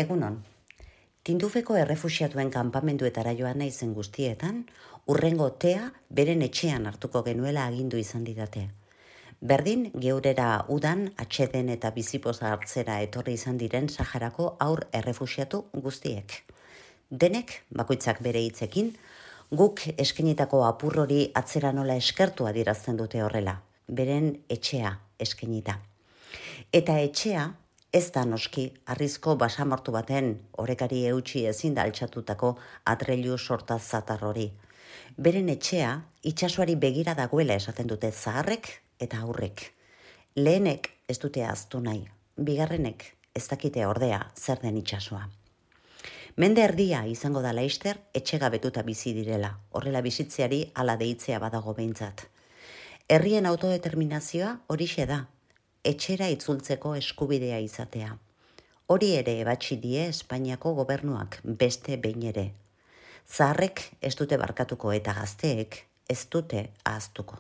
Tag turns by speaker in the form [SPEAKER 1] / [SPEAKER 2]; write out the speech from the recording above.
[SPEAKER 1] Egunon, Tindufeko errefuxiatuen kanpamenduetara joan naizen guztietan, hurrengo tea beren etxean hartuko genuela agindu izan didate. Berdin, geurera udan, atxeden eta bizipoza hartzera etorri izan diren Saharako aur errefuxiatu guztiek. Denek, bakoitzak bere hitzekin, guk eskenitako apur hori atzera nola eskertu adierazten dute horrela, beren etxea eskenita. Eta etxea, ez da noski, arrizko basamortu baten orekari eutxi ezin da altxatutako atrailu sorta zatar hori. Beren etxea, itsasoari begira dagoela esaten dute zaharrek eta aurrek. Lehenek ez dute ahaztu nahi, bigarrenek ez dakite ordea zer den itsasoa. Mende erdia izango da laster etxegabetuta bizi direla, horrela bizitzeari hala deitzea badago behintzat. Herrien autodeterminazioa horixe da, etxera itzultzeko eskubidea izatea. Hori ere ebatsi die Espainiako gobernuak beste behin ere. Zaharrek ez dute barkatuko eta gazteek ez dute ahaztuko.